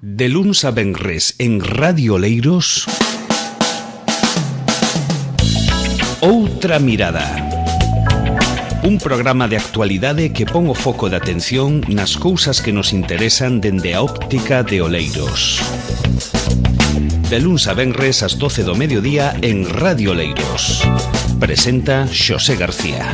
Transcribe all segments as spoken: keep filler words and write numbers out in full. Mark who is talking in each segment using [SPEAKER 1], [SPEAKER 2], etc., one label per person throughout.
[SPEAKER 1] De luns a venres en Radio Oleiros, Outra Mirada. Un programa de actualidade que pon o foco de atención nas cousas que nos interesan dende a óptica de Oleiros. De luns a venres ás doce do mediodía en Radio Oleiros. Presenta Xosé García.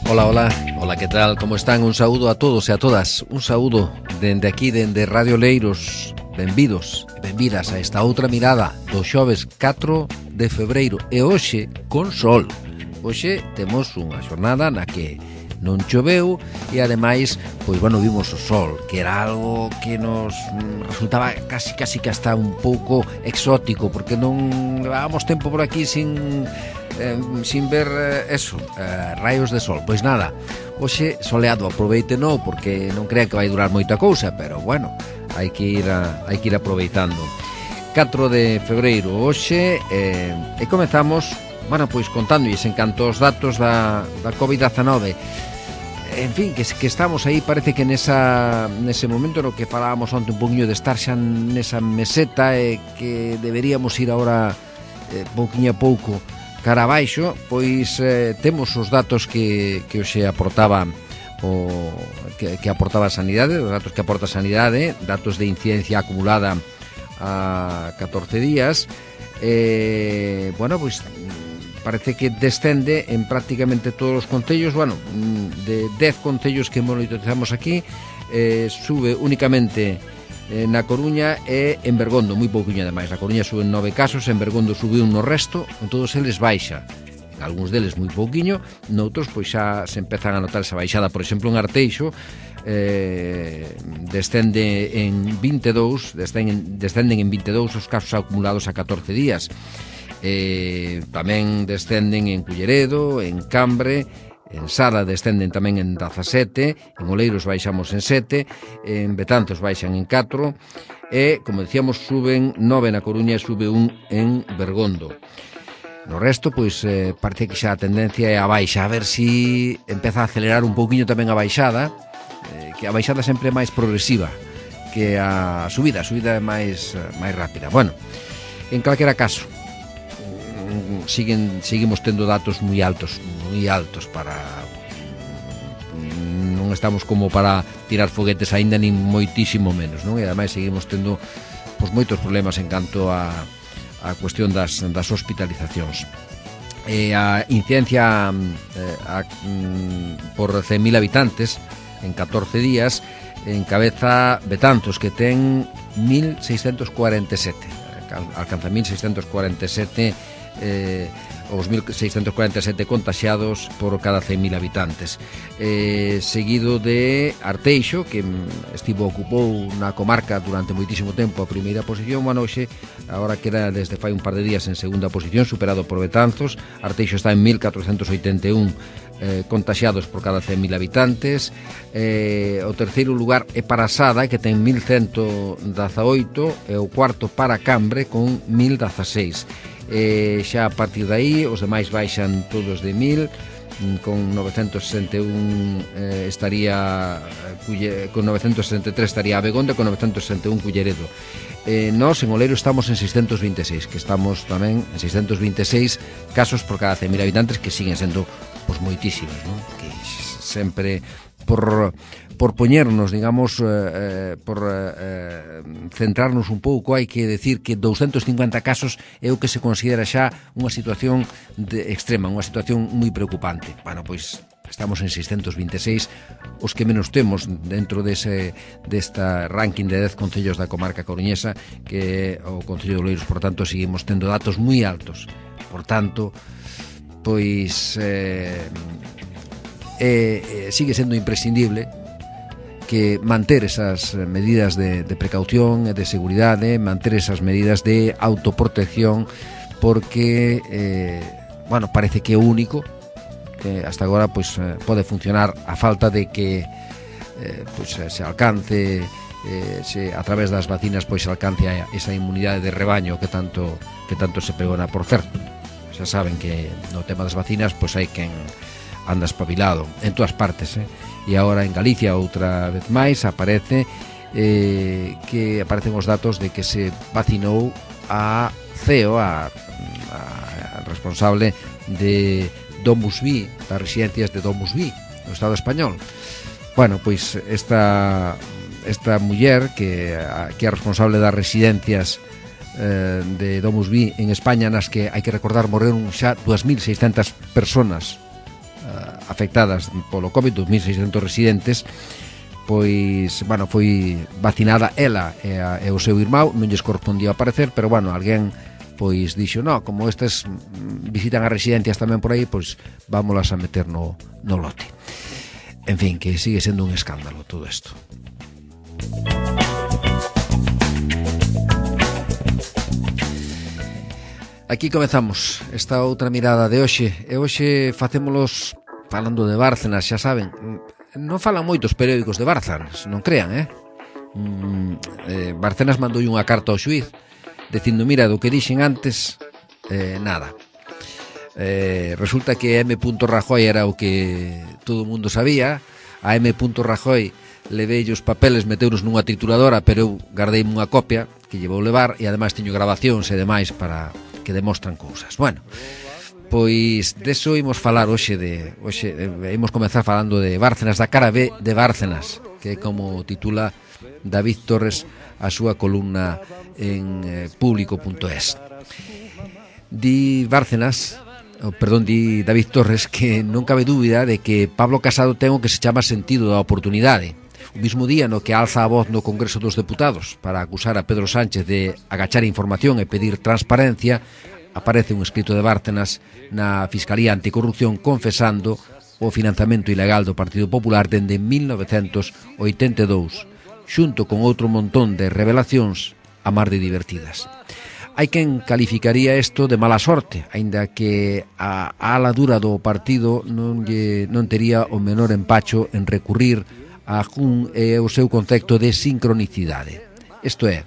[SPEAKER 2] Hola, hola, hola, que tal? Como están? Un saúdo a todos e a todas. Un saúdo dende aquí, dende Radio Oleiros. Benvidos e benvidas a esta outra mirada do xoves catro de febreiro. E hoxe, con sol. Hoxe temos unha xornada na que non choveu e ademais, pois bueno, vimos o sol, que era algo que nos resultaba casi casi que hasta un pouco exótico, porque non levábamos tempo por aquí sin eh, sin ver eh, eso, eh, raios de sol. Pois nada, hoxe soleado, aproveiteno, porque non crean que vai durar moita cousa, pero bueno, hai que ir a, hai que ir aproveitando. catro de febreiro hoxe eh, e comezamos, bueno, pois contándoles en canto aos datos da, da covid dezanove. En fin, que, que estamos aí, parece que nesa, nese momento no que falábamos onte un poquinho de estar xa nesa meseta e que deberíamos ir agora eh, pouquinho a pouco cara abaixo, pois eh, temos os datos que, que hoxe aportaba o, que, que aportaba a Sanidade, os datos que aporta a Sanidade, datos de incidencia acumulada a catorce días. Eh, bueno, pois parece que descende en prácticamente todos os concellos. Bueno, de dez concellos que monitorizamos aquí, eh, sube únicamente eh, na Coruña e en Bergondo, moi pouquinho ademais. Na Coruña suben nove casos, en Bergondo subiu no resto, en todos eles baixa. En algúns deles moi pouquiño, noutros pois xa se empezan a notar esa baixada. Por exemplo, en Arteixo eh, descende en vinte e dous, descenden, descenden en vinte e dous os casos acumulados a catorce días. Eh, tamén descenden en Culleredo, en Cambre, en Sala descenden tamén en dezasete, en Oleiros baixamos en sete, en Betanzos baixan en catro e, como decíamos, suben nove na Coruña e sube un en Bergondo. No resto, pois, eh, parece que xa a tendencia é a baixa, a ver si empeza a acelerar un pouquiño tamén a baixada, eh, que a baixada sempre é máis progresiva que a subida, a subida é máis, máis rápida. Bueno, en calquera caso, siguen seguimos tendo datos moi altos, moi altos para non estamos como para tirar foguetes aínda, nin moitísimo menos, non? E ademais seguimos tendo pois moitos problemas en canto a a cuestión das das hospitalizacións. E a incidencia eh, a, mm, por cen mil habitantes en catorce días encabeza Betanzos, que ten mil seiscentos cuarenta e sete, alcanza mil seiscentos cuarenta e sete eh, os mil seiscentos cuarenta e sete contaxiados por cada cen mil habitantes, eh, seguido de Arteixo, que estivo ocupou na comarca durante moitísimo tempo a primeira posición. Bueno, hoxe, agora queda desde fai un par de días en segunda posición, superado por Betanzos. Arteixo está en mil catrocentos oitenta e un eh, contaxiados por cada cen mil habitantes. Eh, o terceiro lugar é para Sada, que ten mil cento dezaoito, e o cuarto para Cambre con mil dezaseis. Eh, xa a partir de aí os demais baixan todos de mil, con novecentos sesenta e un eh, estaría con novecentos sesenta e tres estaría a Begonda, con novecentos sesenta e un Culleredo. Eh, nós en Oleiro estamos en seiscentos vinte e seis, que estamos tamén en seiscentos vinte e seis casos por cada cen mil habitantes, que siguen sendo pois moitísimos, non? Que sempre por por poñernos, digamos, eh, por eh, centrarnos un pouco, hai que decir que doscientos cincuenta casos é o que se considera xa unha situación de extrema, unha situación moi preocupante. Bueno, pois estamos en seiscentos vinte e seis, os que menos temos dentro dese desta ranking de dez concellos da comarca coruñesa, que é o Concello de Oleiros. Por tanto, seguimos tendo datos moi altos. Por tanto, pois eh, eh, sigue sendo imprescindible que manter esas medidas de, de precaución e de seguridade, manter esas medidas de autoprotección, porque eh, bueno, parece que é o único que hasta agora pois, eh, pode funcionar, a falta de que eh, pois, se alcance eh, se, a través das vacinas pois se alcance esa inmunidade de rebaño que tanto, que tanto se pregona. Por certo, xa saben que no tema das vacinas pois hai quen anda espabilado en todas partes, eh? E agora en Galicia outra vez máis aparece eh, que aparecen os datos de que se vacinou a C E O, a, a responsable de DomusVi, das residencias de DomusVi no Estado español. Bueno, pois esta esta muller que, que é responsable das residencias eh, de DomusVi en España, nas que hai que recordar morreron xa dúas mil seiscentas personas eh, afectadas polo COVID, dous mil seiscentos residentes, pois, bueno, foi vacinada ela e, a, e o seu irmão, non lles correspondía aparecer, pero, bueno, alguén pois dixo, no, como estes visitan as residencias tamén por aí, pois vámolas a meter no, no lote. En fin, que sigue sendo un escándalo todo isto. Aquí comezamos esta outra mirada de hoxe, e hoxe facémolos falando de Bárcenas, xa saben. Non falan moitos periódicos de Bárcenas, non crean, eh? Mm, eh Bárcenas mandou unha carta ao xuíz dicindo, mira, do que dixen antes, eh, nada. Eh, resulta que M. Rajoy era o que todo o mundo sabía. A M. Rajoy levei os papeles, meteuros nunha trituradora, pero eu guardei unha copia que llevou levar, e ademais teño grabacións e demais para que demostran cousas. Bueno, pois deso imos falar hoxe de hoxe eh, imos comezar falando de Bárcenas, da cara B de Bárcenas, que é como titula David Torres a súa columna en eh, público punto es. Di Bárcenas, oh, perdón, di David Torres que non cabe dúbida de que Pablo Casado ten o que se chama sentido da oportunidade. O mismo día no que alza a voz no Congreso dos Deputados para acusar a Pedro Sánchez de agachar información e pedir transparencia, aparece un escrito de Bárcenas na Fiscalía Anticorrupción confesando o financiamento ilegal do Partido Popular dende mil novecentos oitenta e dous, xunto con outro montón de revelacións a mar de divertidas. Hai quen calificaría isto de mala sorte, aínda que a ala dura do partido non, lle, non tería o menor empacho en recurrir a Jun e o seu concepto de sincronicidade. Isto é,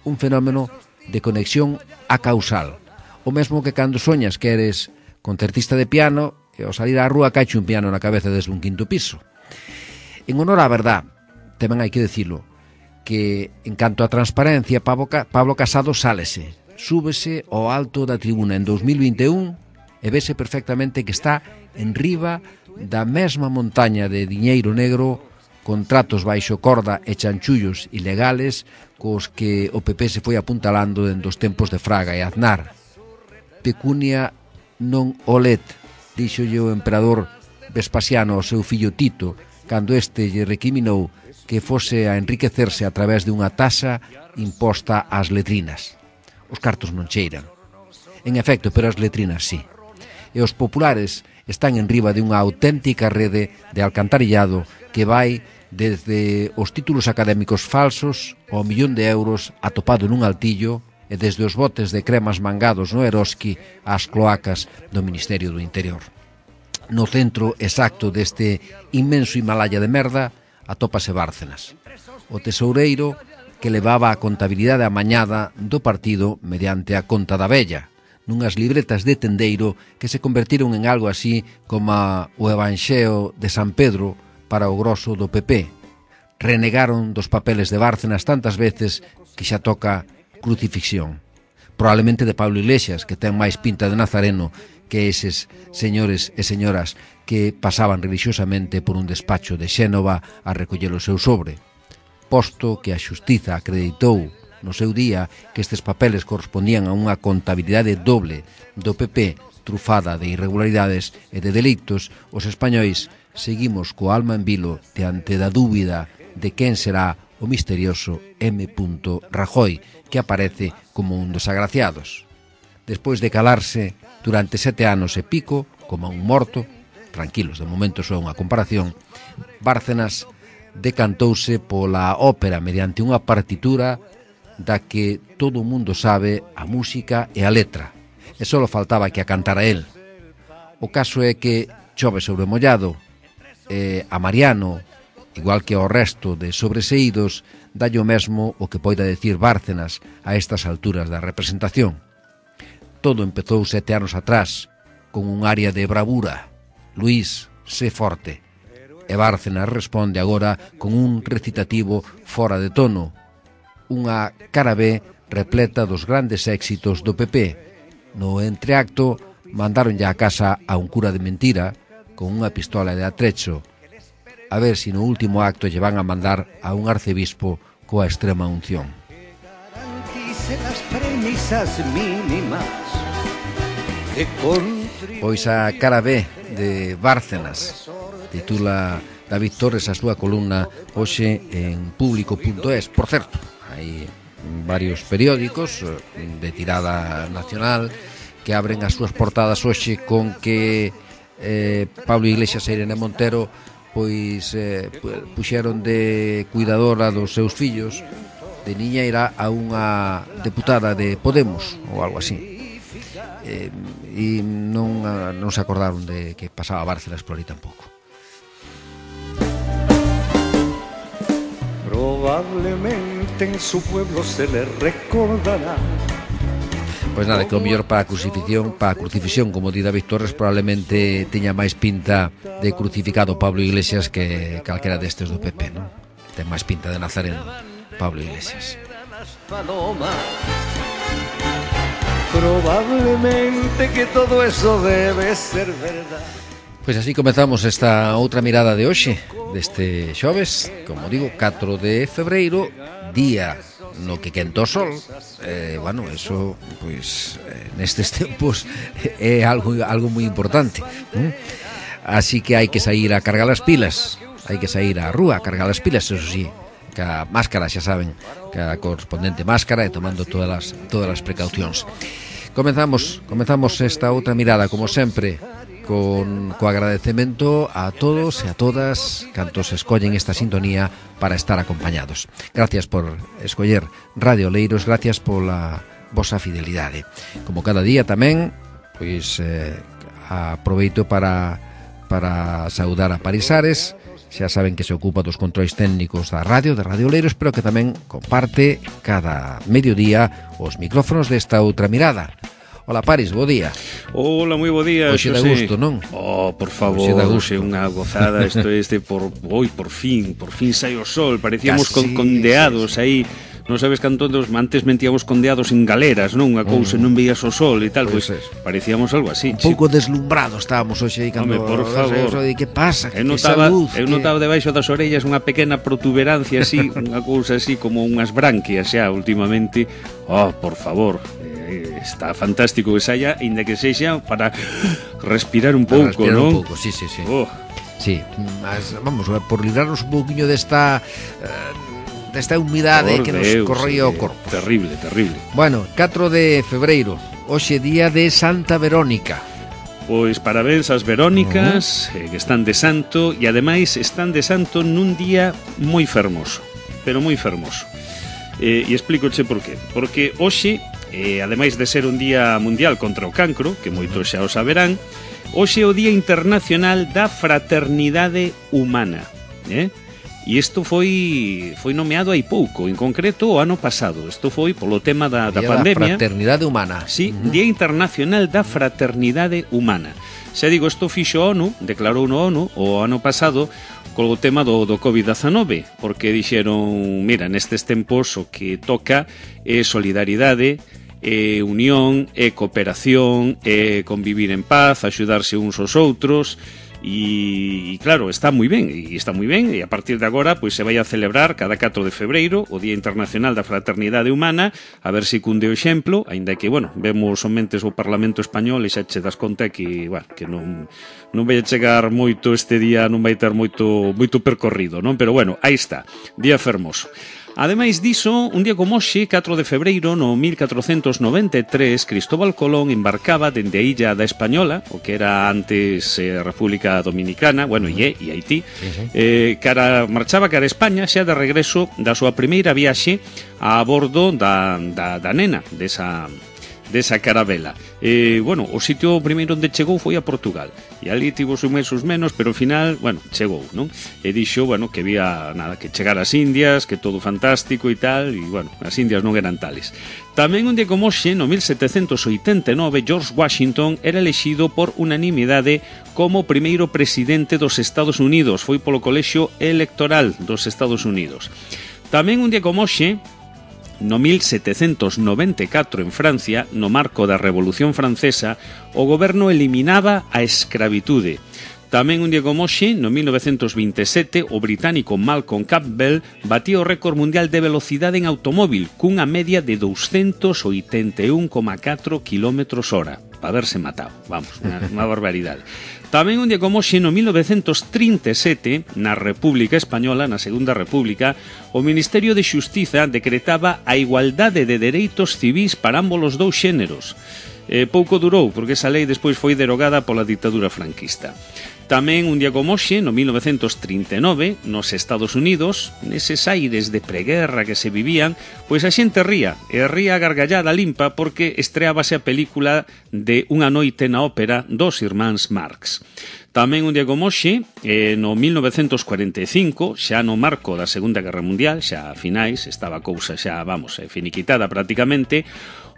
[SPEAKER 2] un fenómeno de conexión a causal. O mesmo que cando soñas que eres concertista de piano e ao salir á rúa caiche un piano na cabeza desde un quinto piso. En honor á verdad, tamén hai que decilo, que en canto a transparencia, Pablo Casado sálese, súbese ao alto da tribuna en dous mil vinte e un e vese perfectamente que está en riba da mesma montaña de diñeiro negro, contratos baixo corda e chanchullos ilegales cos que o P P se foi apuntalando dende os tempos de Fraga e Aznar. Pecunia non olet, díxolle o emperador Vespasiano ao seu fillo Tito, cando este lle recriminou que fose a enriquecerse a través de unha taxa imposta ás letrinas. Os cartos non cheiran. En efecto, pero as letrinas sí. E os populares están en riba de unha auténtica rede de alcantarillado que vai desde os títulos académicos falsos ao millón de euros atopado nun altillo e desde os botes de cremas mangados no Eroski ás cloacas do Ministerio do Interior. No centro exacto deste inmenso Himalaya de merda atópase Bárcenas, o tesoureiro que levaba a contabilidade amañada do partido mediante a conta da vella, nunhas libretas de tendeiro que se convertiron en algo así como o Evanxeo de San Pedro para o grosso do P P. Renegaron dos papeles de Bárcenas tantas veces que xa toca crucifixión. Probablemente de Pablo Iglesias, que ten máis pinta de nazareno que eses señores e señoras que pasaban religiosamente por un despacho de Xénova a recoller o seu sobre. Posto que a xustiza acreditou no seu día que estes papeles correspondían a unha contabilidade doble do P P trufada de irregularidades e de delitos, os españois seguimos co alma en vilo diante da dúbida de quen será o misterioso M. Rajoy, que aparece como un dos agraciados. Despois de calarse durante sete anos e pico, como un morto, tranquilos, de momento só unha comparación, Bárcenas decantouse pola ópera mediante unha partitura da que todo o mundo sabe a música e a letra, e só faltaba que a cantara él. O caso é que chove sobre mollado, e a Mariano, igual que ao resto de sobreseídos, dalle o mesmo o que poida decir Bárcenas a estas alturas da representación. todo empezou sete anos atrás, con un área de bravura. Luís, sé forte. E Bárcenas responde agora con un recitativo fora de tono. Unha cara B repleta dos grandes éxitos do P P. No entreacto, mandaron ya a casa a un cura de mentira con unha pistola de atrecho. A ver se no último acto lle van a mandar a un arcebispo coa extrema unción. Pois a cara B de Bárcenas titula David Torres a súa columna hoxe en público punto es. Por certo, hai varios periódicos de tirada nacional que abren as súas portadas hoxe con que eh, Pablo Iglesias e Irene Montero pois eh, puxeron de cuidadora dos seus fillos de niñeira a unha deputada de Podemos ou algo así. Eh, e non, non se acordaron de que pasaba Bárcenas por aí tampouco.
[SPEAKER 3] Probablemente en su pueblo se le recordará.
[SPEAKER 2] Pois nada, que o mellor para a crucifixión, para a crucifixión, como di David Torres, probablemente teña máis pinta de crucificado Pablo Iglesias que calquera destes do P P, non? Ten máis pinta de Nazareno Pablo Iglesias.
[SPEAKER 3] Probablemente que todo eso debe ser verdad.
[SPEAKER 2] Pois así comezamos esta outra mirada de hoxe, deste xoves, como digo, catro de febreiro, día no que quenta o sol. Eh, bueno, eso, pois, eh, nestes tempos é algo, algo moi importante, ¿eh? Así que hai que sair a cargar as pilas, hai que sair á rúa a cargar as pilas, eso sí, ca máscara, xa saben, ca correspondente máscara e tomando todas as, todas as precaucións. Comenzamos, comenzamos esta outra mirada, como sempre, con co agradecemento a todos e a todas cantos escollen esta sintonía para estar acompañados. Gracias por escoller Radio Oleiros, gracias pola vosa fidelidade. Como cada día tamén, pois eh, aproveito para para saudar a Parisares. Xa saben que se ocupa dos controis técnicos da radio, de Radio Oleiros, pero que tamén comparte cada mediodía os micrófonos desta outra mirada. Hola Paris, bo día.
[SPEAKER 1] Hola, moi bo día.
[SPEAKER 2] Hoxe dá gusto, non?
[SPEAKER 1] Oh, por favor, hoxe unha gozada. Isto este por hoy, por fin, por fin sai o sol. Parecíamos con, condeados aí. Non sabes canto dos antes mentíamos condeados en galeras, non? Unha cousa, non veías o sol e tal, pois pues, parecíamos algo así.
[SPEAKER 2] Un pouco deslumbrados estábamos hoxe aí cando.
[SPEAKER 1] Home, por favor.
[SPEAKER 2] E que pasa?
[SPEAKER 1] Eu notaba, eu notaba debaixo das orellas unha pequena protuberancia así, unha cousa así como unhas branquias xa últimamente. Oh, por favor. Está fantástico que saia, ainda que sexa para respirar un pouco,
[SPEAKER 2] respirar
[SPEAKER 1] non?
[SPEAKER 2] Un pouco, sí, sí, sí.
[SPEAKER 1] Oh.
[SPEAKER 2] Sí, mas, vamos, por librarnos un pouquiño desta uh, desta humidade por que nos Deus, corría o corpo.
[SPEAKER 1] Terrible, terrible.
[SPEAKER 2] Bueno, catro de febreiro, hoxe día de Santa Verónica.
[SPEAKER 1] Pois parabéns ás Verónicas, uh -huh. eh, que están de santo, e ademais están de santo nun día moi fermoso, pero moi fermoso. Eh, e explícoche por qué. Porque hoxe, eh, ademais de ser un día mundial contra o cancro, que moitos xa o saberán, hoxe é o Día Internacional da Fraternidade Humana, eh? E isto foi foi nomeado hai pouco, en concreto o ano pasado. Isto foi polo tema da, da pandemia.
[SPEAKER 2] Da Fraternidade Humana.
[SPEAKER 1] Sí, uh -huh. Día Internacional da Fraternidade Humana. Xa digo, isto fixo a ONU, declarou no ONU o ano pasado co tema do, do covid diecinueve, porque dixeron, mira, nestes tempos o que toca é solidaridade, é unión, é cooperación, é convivir en paz, axudarse uns aos outros. E, e claro, está moi ben, e está moi ben, e a partir de agora pois se vai a celebrar cada catro de febreiro o Día Internacional da Fraternidade Humana, a ver se cunde o exemplo, aínda que, bueno, vemos somentes o Parlamento Español e xa che das conta que, bueno, que non non vai a chegar moito este día, non vai ter moito moito percorrido, non? Pero bueno, aí está, día fermoso. Ademais diso, un día como hoxe, catro de febreiro, no mil catrocentos noventa e tres, Cristóbal Colón embarcaba dende a illa da Española, o que era antes eh, República Dominicana, bueno, e, e Haití, eh, cara, marchaba cara a España, xa de regreso da súa primeira viaxe a bordo da, da, da nena, desa, desa carabela. Eh, bueno, o sitio primeiro onde chegou foi a Portugal, e ali tivo os meses menos, pero ao final, bueno, chegou, non? E dixo, bueno, que había nada, que chegar ás Indias, que todo fantástico e tal, e bueno, as Indias non eran tales. Tamén un día como hoxe, no mil setecentos oitenta e nove, George Washington era elexido por unanimidade como primeiro presidente dos Estados Unidos. Foi polo colexio electoral dos Estados Unidos. Tamén un día como hoxe, no mil setecentos noventa e catro, en Francia, no marco da Revolución Francesa, o goberno eliminaba a escravitude. Tamén un día como hoxe, no mil novecentos vinte e sete, o británico Malcolm Campbell batía o récord mundial de velocidade en automóvil cunha media de doscientos oitenta e un coma catro kilómetros hora. Para haberse matado, vamos, unha, unha barbaridade. Tamén un día como hoxe, no mil novecentos trinta e sete, na República Española, na Segunda República, o Ministerio de Xustiza decretaba a igualdade de dereitos civís para ambos os dous xéneros. Eh, pouco durou, porque esa lei despois foi derogada pola ditadura franquista. Tamén un día como hoxe, no mil novecentos trinta e nove, nos Estados Unidos, neses aires de preguerra que se vivían, pois a xente ría, e ría gargallada limpa porque estreábase a película de Unha noite na ópera dos irmáns Marx. Tamén un día como hoxe, eh, no mil novecentos cuarenta e cinco, xa no marco da Segunda Guerra Mundial, xa a finais, estaba a cousa xa, vamos, finiquitada prácticamente,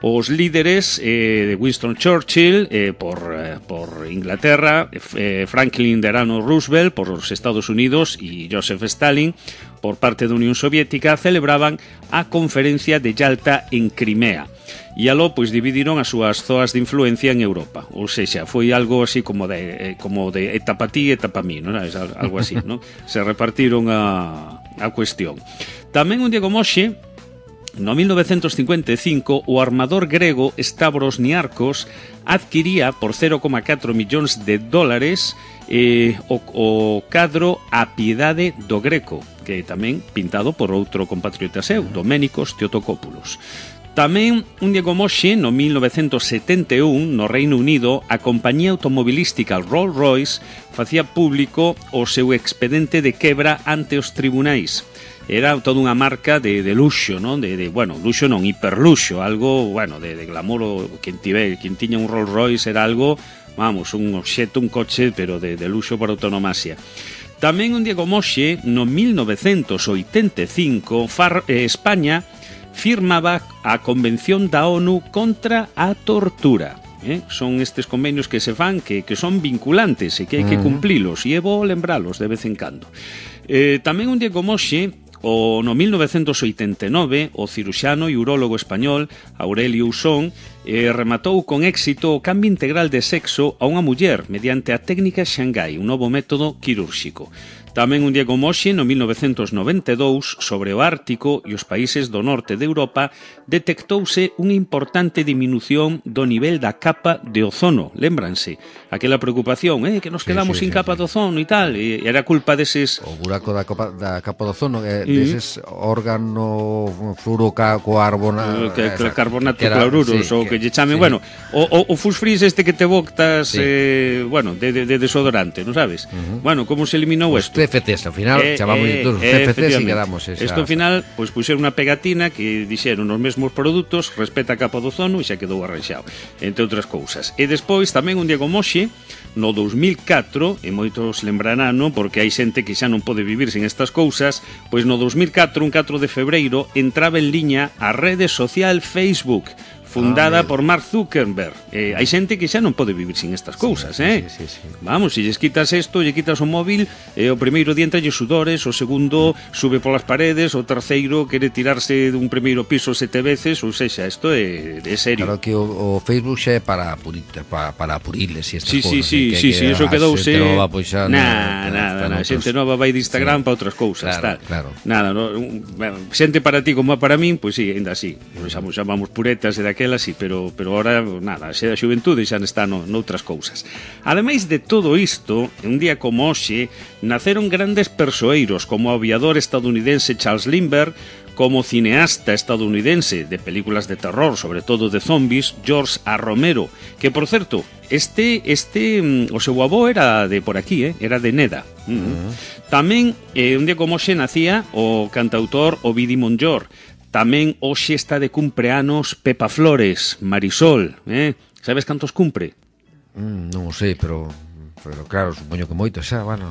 [SPEAKER 1] os líderes eh, de Winston Churchill eh, por, eh, por Inglaterra, eh, Franklin Delano Roosevelt por os Estados Unidos e Joseph Stalin por parte da Unión Soviética celebraban a conferencia de Yalta en Crimea. E aló, pois, dividiron as súas zoas de influencia en Europa. Ou seja, foi algo así como de, eh, como de etapa ti, etapa mí, non? Algo así, non? Se repartiron a, a cuestión. Tamén un día como hoxe, no mil novecentos cincuenta e cinco, o armador grego Stavros Niarchos adquiría por cero coma catro millóns de dólares eh, o, o cadro A Piedade do Greco, que tamén pintado por outro compatriota seu, Doménicos Teotocópulos. Tamén, un día como hoxe, no mil novecentos setenta e un, no Reino Unido, a compañía automobilística Rolls-Royce facía público o seu expedente de quebra ante os tribunais. Era toda unha marca de, de luxo, non? De, de, bueno, luxo non, hiperluxo, algo, bueno, de, de glamour, o quen, tive, quen tiña un Rolls Royce era algo, vamos, un obxeto, un coche, pero de, de luxo por autonomasia. Tamén un día como hoxe, no mil novecentos oitenta e cinco, Far, eh, España firmaba a Convención da ONU contra a tortura. Eh? Son estes convenios que se fan que, que son vinculantes e que hai que cumplilos, e é bo lembralos de vez en cando. Eh, tamén un día como hoxe, o no mil novecentos oitenta e nove, o ciruxano e urólogo español Aurelio Usón eh, rematou con éxito o cambio integral de sexo a unha muller mediante a técnica Shanghai, un novo método quirúrxico. Tamén un día como hoxe, no mil novecentos noventa e dous, sobre o Ártico e os países do norte de Europa, detectouse unha importante diminución do nivel da capa de ozono. Lémbranse, aquela preocupación, eh, que nos quedamos sí, sí, sin sí, capa sí. de ozono e tal, e era culpa deses...
[SPEAKER 2] O buraco da, copa, da capa de ozono, eh, deses mm. órgano fluorocarbonato,
[SPEAKER 1] que, que, carbonato que era, cloruros, sí, ou que, que lle chamen, sí. bueno, o, o, o fusfris este que te botas, sí. eh, bueno, de, de, de desodorante, non sabes? Uh -huh. Bueno, como se eliminou isto?
[SPEAKER 2] C F Ts, ao final eh, chamamos eh, todos os C F Ts e quedamos esa...
[SPEAKER 1] Isto ao final, pois puxeron unha pegatina que dixeron os mesmos produtos, respeta a capa do ozono e xa quedou arranxado, entre outras cousas. E despois, tamén un día como hoxe, no dous mil catro, e moitos lembrarán, non? Porque hai xente que xa non pode vivir sen estas cousas, pois no dous mil catro, un catro de febreiro, entraba en liña a rede social Facebook, fundada ah, por Mark Zuckerberg. Eh, hai xente que xa non pode vivir sin estas cousas, sí, eh? Sí, sí, sí. Vamos, se lles quitas isto, lle quitas o móvil, eh, o primeiro día entra lle sudores, o segundo sube polas paredes, o terceiro quere tirarse dun primeiro piso sete veces, ou sexa, isto é de serio.
[SPEAKER 2] Claro que o, o Facebook xa é para apurir, para, para apuriles e estas
[SPEAKER 1] sí,
[SPEAKER 2] cousas.
[SPEAKER 1] Sí, sí, sí, sí, eso quedouse...
[SPEAKER 2] Nova, pois xa,
[SPEAKER 1] nah, no, nada, nada, xente nova vai de Instagram sí. para outras cousas,
[SPEAKER 2] claro,
[SPEAKER 1] tal.
[SPEAKER 2] Claro.
[SPEAKER 1] Nada, no, xente para ti como para min, pois sí, ainda así. Xa vamos puretas e daquelas, sí, pero... pero pero ahora, nada, xe da xuventude xa está no, noutras cousas. Ademais de todo isto, un día como hoxe, naceron grandes persoeiros como o aviador estadounidense Charles Lindbergh, como cineasta estadounidense de películas de terror, sobre todo de zombies, George A. Romero, que, por certo, este, este o seu avó era de por aquí, eh? Era de Neda. Uh -huh. Tamén, eh, un día como hoxe, nacía o cantautor Ovidi Montllor. Tamén hoxe está de cumpleanos Pepa Flores, Marisol, eh? Sabes cantos cumpre?
[SPEAKER 2] Mm, non o sei, pero... Pero claro, supoño que moito xa, bueno...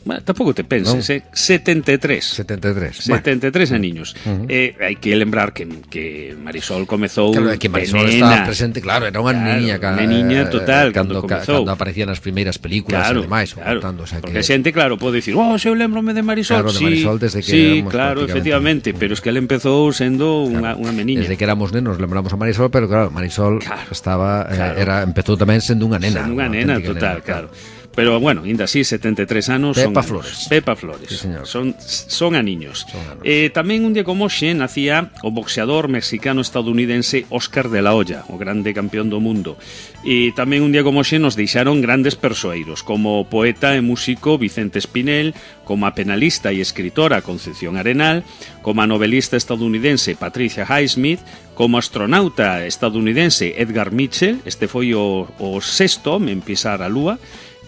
[SPEAKER 1] Bueno, tampouco te penses, eh? setenta e tres.
[SPEAKER 2] setenta e tres.
[SPEAKER 1] setenta e tres
[SPEAKER 2] bueno.
[SPEAKER 1] aniños.
[SPEAKER 2] Uh -huh.
[SPEAKER 1] eh, hai que lembrar que, que Marisol comezou...
[SPEAKER 2] Claro, que Marisol estaba presente, claro, era unha
[SPEAKER 1] claro,
[SPEAKER 2] niña...
[SPEAKER 1] Unha niña total,
[SPEAKER 2] cando,
[SPEAKER 1] cando comezou.
[SPEAKER 2] Cando aparecían as primeiras películas
[SPEAKER 1] claro,
[SPEAKER 2] e demais.
[SPEAKER 1] Claro,
[SPEAKER 2] contando, o sea,
[SPEAKER 1] porque a
[SPEAKER 2] que...
[SPEAKER 1] xente, claro, pode dicir, oh, eu lembrome de Marisol.
[SPEAKER 2] Claro, de Marisol desde que
[SPEAKER 1] sí,
[SPEAKER 2] éramos
[SPEAKER 1] claro, efectivamente, pero es que ele empezou sendo unha,
[SPEAKER 2] claro,
[SPEAKER 1] unha meniña.
[SPEAKER 2] Desde que éramos nenos lembramos a Marisol, pero claro, Marisol
[SPEAKER 1] claro,
[SPEAKER 2] estaba,
[SPEAKER 1] claro.
[SPEAKER 2] Eh, era empezou tamén sendo unha nena.
[SPEAKER 1] Sendo unha nena, total, nena, claro. claro. Pero, bueno, ainda así, setenta e tres anos...
[SPEAKER 2] Pepa
[SPEAKER 1] son
[SPEAKER 2] Flores.
[SPEAKER 1] Pepa Flores.
[SPEAKER 2] Sí, señor.
[SPEAKER 1] Son, son aniños.
[SPEAKER 2] Son anos.
[SPEAKER 1] Eh, tamén un día como hoxe nacía o boxeador mexicano-estadounidense Óscar de la Hoya, o grande campeón do mundo. E tamén un día como hoxe nos deixaron grandes persoeiros, como o poeta e músico Vicente Espinel, como a penalista e escritora Concepción Arenal, como a novelista estadounidense Patricia Highsmith, como astronauta estadounidense Edgar Mitchell, este foi o, o sexto home en pisar a Lúa.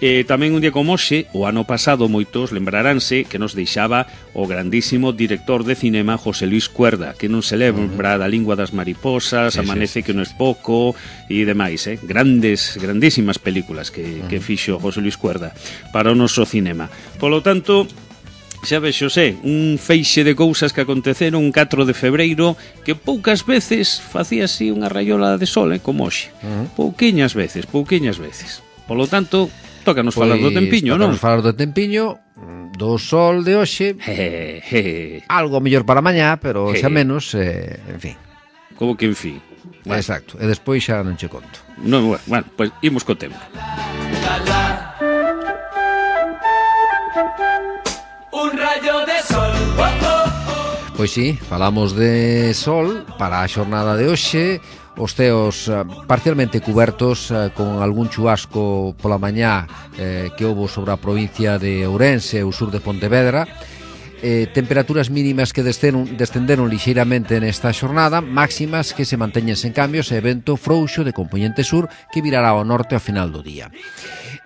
[SPEAKER 1] E tamén un día como hoxe, o ano pasado, moitos lembraránse que nos deixaba o grandísimo director de cinema José Luis Cuerda, que non se lembra da Lingua das mariposas, sí, Amanece sí, que non é pouco e demais, eh? Grandes, grandísimas películas que, que fixo José Luis Cuerda para o noso cinema. Polo tanto, xa vexo, sé, un feixe de cousas que aconteceron un catro de febreiro que poucas veces facía así unha raiola de sol, eh, como hoxe. Uh -huh. Pouquiñas veces, pouquiñas veces. Polo tanto, tócanos
[SPEAKER 2] pois,
[SPEAKER 1] falar do tempiño, non?
[SPEAKER 2] Tócanos falar do tempiño, do sol de hoxe,
[SPEAKER 1] je, je.
[SPEAKER 2] algo mellor para mañá, pero xa menos, eh, en fin.
[SPEAKER 1] Como que en fin?
[SPEAKER 2] Bueno. Exacto, e despois xa non che conto.
[SPEAKER 1] Non, bueno, bueno, pois pues, imos co tempo.
[SPEAKER 4] Un rayo de sol. Oh, oh, oh.
[SPEAKER 2] Pois sí, falamos de sol para a xornada de hoxe. Os ceos uh, parcialmente cubertos uh, con algún chubasco pola mañá eh, que houbo sobre a provincia de Ourense e o sur de Pontevedra. Eh, temperaturas mínimas que descenderon, descenderon lixeiramente nesta xornada, máximas que se manteñen sen cambios e vento frouxo de compoñente sur que virará ao norte ao final do día.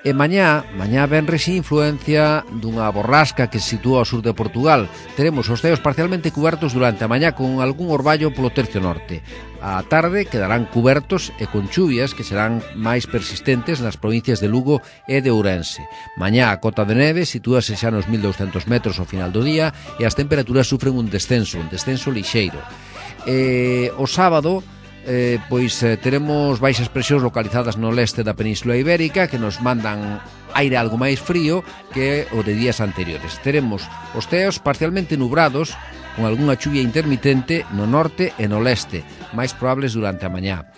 [SPEAKER 2] E mañá, mañá venres influencia dunha borrasca que se sitúa ao sur de Portugal. Teremos os ceos parcialmente cubertos durante a mañá con algún orballo polo tercio norte. A tarde quedarán cubertos e con chuvias que serán máis persistentes nas provincias de Lugo e de Ourense. Mañá a cota de neve sitúase xa nos mil douscentos metros ao final do día e as temperaturas sufren un descenso, un descenso lixeiro. E o sábado Eh, pois eh, teremos baixas presións localizadas no leste da Península Ibérica que nos mandan aire algo máis frío que o de días anteriores. Teremos os ceos parcialmente nubrados con algunha chuvia intermitente no norte e no leste, máis probables durante a mañá.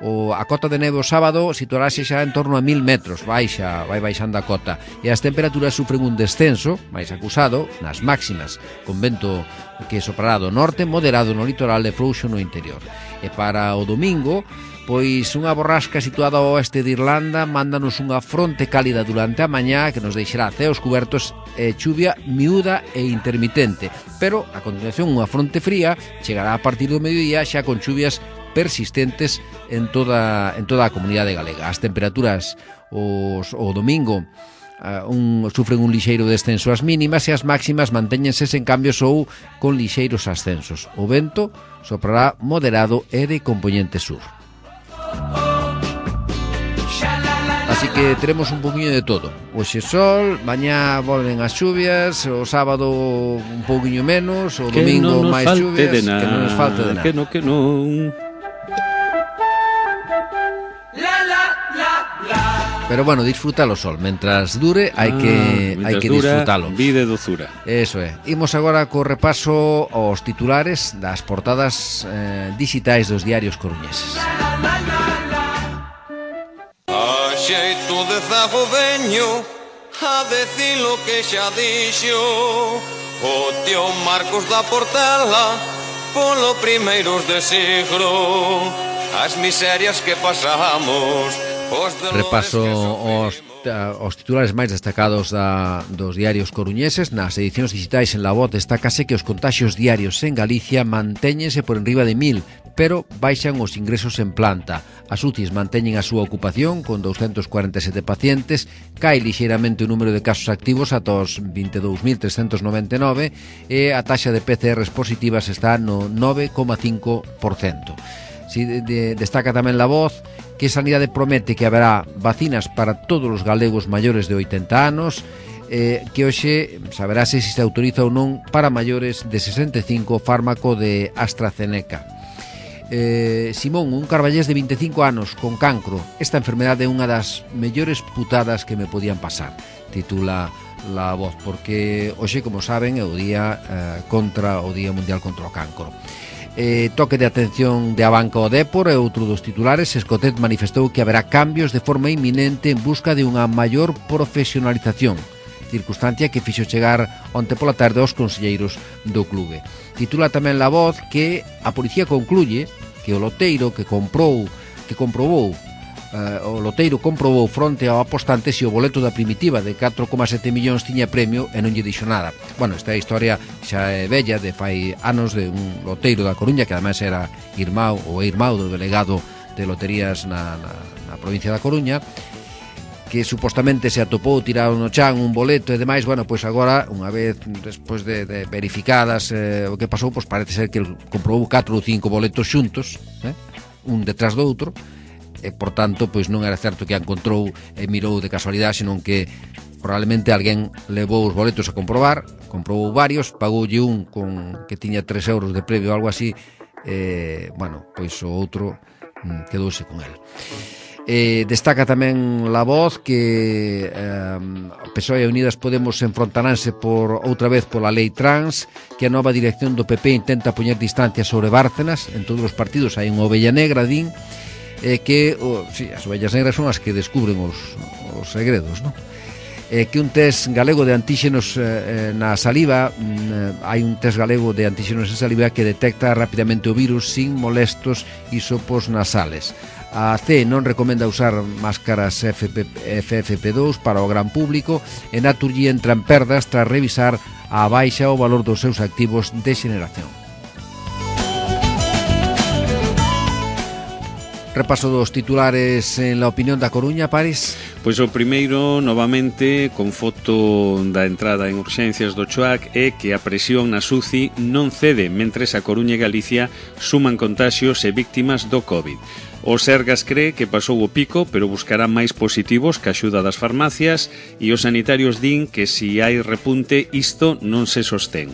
[SPEAKER 2] O, a cota de neve o sábado situarase xa en torno a mil metros, baixa, vai baixando a cota, e as temperaturas sufren un descenso máis acusado nas máximas, con vento que soprará do norte, moderado no litoral e frouxo no interior. E para o domingo, pois unha borrasca situada ao oeste de Irlanda mándanos unha fronte cálida durante a mañá que nos deixará ceos cubertos e chuvia miúda e intermitente, pero a continuación unha fronte fría chegará a partir do mediodía xa con chuvias persistentes en toda, en toda a comunidade galega. As temperaturas os, o domingo uh, un, sufren un lixeiro descenso as mínimas e as máximas mantéñense sen cambios ou con lixeiros ascensos. O vento soprará moderado e de compoñente sur. Así que teremos un poquinho de todo. Hoxe sol, mañá volven as chuvias, o sábado un poquinho menos, o domingo máis chuvias, que non nos falte de nada.
[SPEAKER 1] Que non, que non.
[SPEAKER 2] Pero bueno, disfruta o sol, mentras dure hai que ah, hai que
[SPEAKER 1] dura,
[SPEAKER 2] disfrutalo.
[SPEAKER 1] Vida e dozura.
[SPEAKER 2] Eso é. Imos agora co repaso aos titulares das portadas eh, digitais dos diarios coruñeses.
[SPEAKER 5] A xeito de zago veño a decir lo que xa dixo o tío Marcos da Portela polo primeiros de siglo as miserias que pasamos.
[SPEAKER 2] Repaso os, os titulares máis destacados da, dos diarios coruñeses. Nas edicións digitais en La Voz destácase que os contaxios diarios en Galicia mantéñense por enriba de mil, pero baixan os ingresos en planta. As U C Is manteñen a súa ocupación con douscentos cuarenta e sete pacientes, cae lixeiramente o número de casos activos ata os vinte e dous mil trescentos noventa e nove e a taxa de P C Rs positivas está no nove coma cinco por cento. Si de, de, destaca tamén La Voz que Sanidade promete que haberá vacinas para todos os galegos maiores de oitenta anos, eh, que hoxe saberase se se autoriza ou non para maiores de sesenta e cinco fármaco de AstraZeneca. Eh, Simón, un carballés de vinte e cinco anos con cancro. Esta enfermedade é unha das mellores putadas que me podían pasar, titula La Voz, porque hoxe, como saben, é o día eh, contra o Día Mundial contra o Cancro. Eh, toque de atención de Abanca ao Dépor é outro dos titulares. Escotet manifestou que haberá cambios de forma inminente en busca de unha maior profesionalización, circunstancia que fixo chegar onte pola tarde aos conselleiros do clube. Titula tamén La Voz que a policía concluye que o loteiro que comprou que comprobou uh, o loteiro comprobou fronte ao apostante se o boleto da Primitiva de catro coma sete millóns tiña premio e non lle dixo nada. Bueno, esta historia xa é bella, de fai anos, de un loteiro da Coruña que ademais era irmão ou é irmão do delegado de loterías na, na, na provincia da Coruña, que supostamente se atopou tirado no chan un boleto e demais. Bueno, pois agora, unha vez despois de, de verificadas eh, o que pasou, pois parece ser que comprou catro ou cinco boletos xuntos, eh, un detrás do outro, e por tanto, pois non era certo que a encontrou e mirou de casualidade, senón que probablemente alguén levou os boletos a comprobar, comprou varios, pagoulle un con que tiña tres euros de premio ou algo así, e, bueno, pois o outro mm, quedouse con el. Eh, destaca tamén La Voz que eh, P S O E e Unidas Podemos enfrontaránse por outra vez pola lei trans, que a nova dirección do P P intenta poñer distancia sobre Bárcenas. En todos os partidos hai unha ovella negra, din, eh, que oh, sí, as ovellas negras son as que descubren os, os segredos, non? Eh, que un test galego de antíxenos eh, na saliva, mm, hai un test galego de antíxenos en saliva que detecta rapidamente o virus sin molestos hisopos nasales. A C non recomenda usar máscaras F F P dous para o gran público e Naturgy entra en perdas tras revisar a baixa o valor dos seus activos de xeneración. Repaso dos titulares en La Opinión da Coruña, Paris.
[SPEAKER 1] Pois o primeiro, novamente, con foto da entrada en urxencias do Choac, é que a presión na S U C I non cede mentres a Coruña e Galicia suman contaxios e víctimas do COVID. O Sergas cree que pasou o pico, pero buscará máis positivos que a axuda das farmacias, e os sanitarios din que si hai repunte isto non se sostén.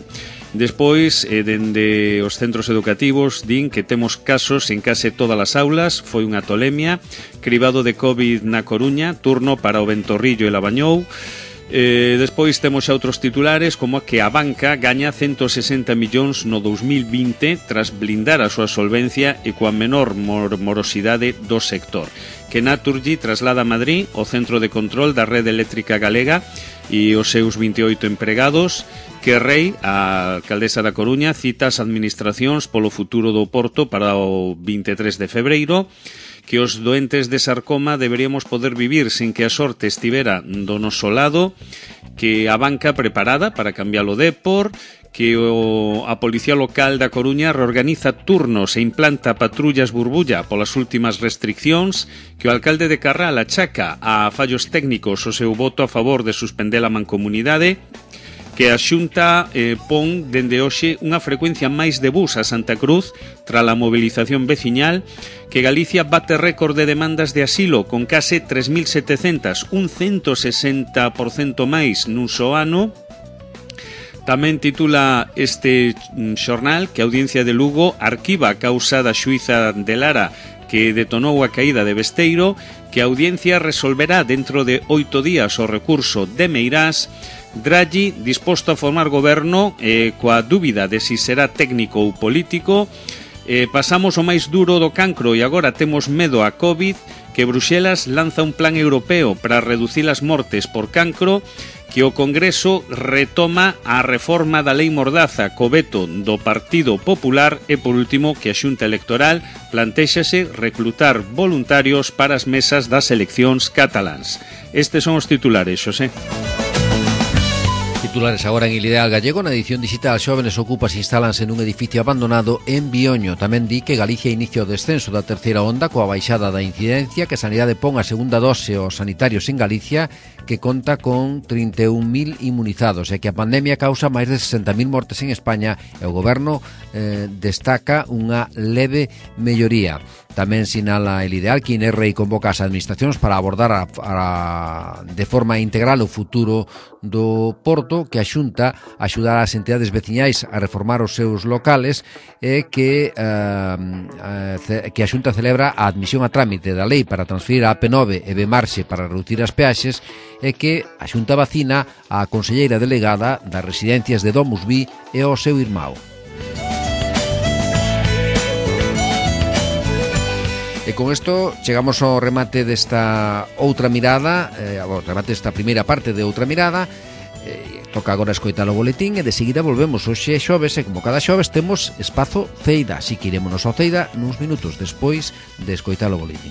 [SPEAKER 1] Despois, eh, dende os centros educativos, din que temos casos en case todas as aulas, foi unha tolemia, cribado de COVID na Coruña, turno para o Ventorrillo e Labañou. Eh, despois temos xa outros titulares, como que a banca gaña ciento sesenta millóns no dous mil vinte tras blindar a súa solvencia e coa menor mor morosidade do sector. Que Naturgy traslada a Madrid o centro de control da rede eléctrica galega e os seus vinte e oito empregados. Que Rei, a alcaldesa da Coruña, cita as administracións polo futuro do Porto para o vinte e tres de febreiro. Que os doentes de sarcoma deberíamos poder vivir sin que a sorte estivera do noso lado, que a banca preparada para cambiar o Dépor, que o, a Policía Local da Coruña reorganiza turnos e implanta patrullas burbulla polas últimas restriccións, que o alcalde de Carral achaca a fallos técnicos o seu voto a favor de suspender a mancomunidade, que a Xunta eh, pon dende hoxe unha frecuencia máis de bus a Santa Cruz tras a mobilización veciñal, que Galicia bate récord de demandas de asilo con case tres mil setecentas, un ciento sesenta por cento máis nun só ano. Tamén titula este xornal que a Audiencia de Lugo arquiva a causa da xuíza de Lara que detonou a caída de Besteiro, que a Audiencia resolverá dentro de oito días o recurso de Meirás. Draghi disposto a formar goberno eh, coa dúbida de si será técnico ou político. Eh, pasamos o máis duro do cancro e agora temos medo a COVID, que Bruxelas lanza un plan europeo para reducir as mortes por cancro, que o Congreso retoma a reforma da Lei Mordaza co veto do Partido Popular e, por último, que a Xunta Electoral plantéxase reclutar voluntarios para as mesas das eleccións cataláns. Estes son os titulares, Xosé.
[SPEAKER 2] titulares agora en Il Ideal Gallego. Na edición digital, xóvenes ocupas instálanse nun edificio abandonado en Bioño. Tamén di que Galicia inicia o descenso da terceira onda coa baixada da incidencia, que a Sanidade pon a segunda dose aos sanitarios en Galicia, que conta con trinta e un mil inmunizados, e que a pandemia causa máis de sesenta mil mortes en España, e o Goberno eh, destaca unha leve melloría. Tamén sinala El Ideal que Inerrei convoca as administracións para abordar a, a, de forma integral o futuro do Porto, que a Xunta axudar as entidades veciñais a reformar os seus locales, e que, eh, que a Xunta celebra a admisión a trámite da lei para transferir a A P nove e Bemarxe para reducir as peaxes, e que a Xunta vacina a conselleira delegada das residencias de Domusví e o seu irmão. E con isto chegamos ao remate desta outra mirada, eh, ao remate desta primeira parte de Outra Mirada. Eh, toca agora escoitar o boletín e de seguida volvemos. Hoxe é xoves e como cada xoves temos espazo Ceida, así que irémonos ao Ceida nuns minutos despois de escoitar o boletín.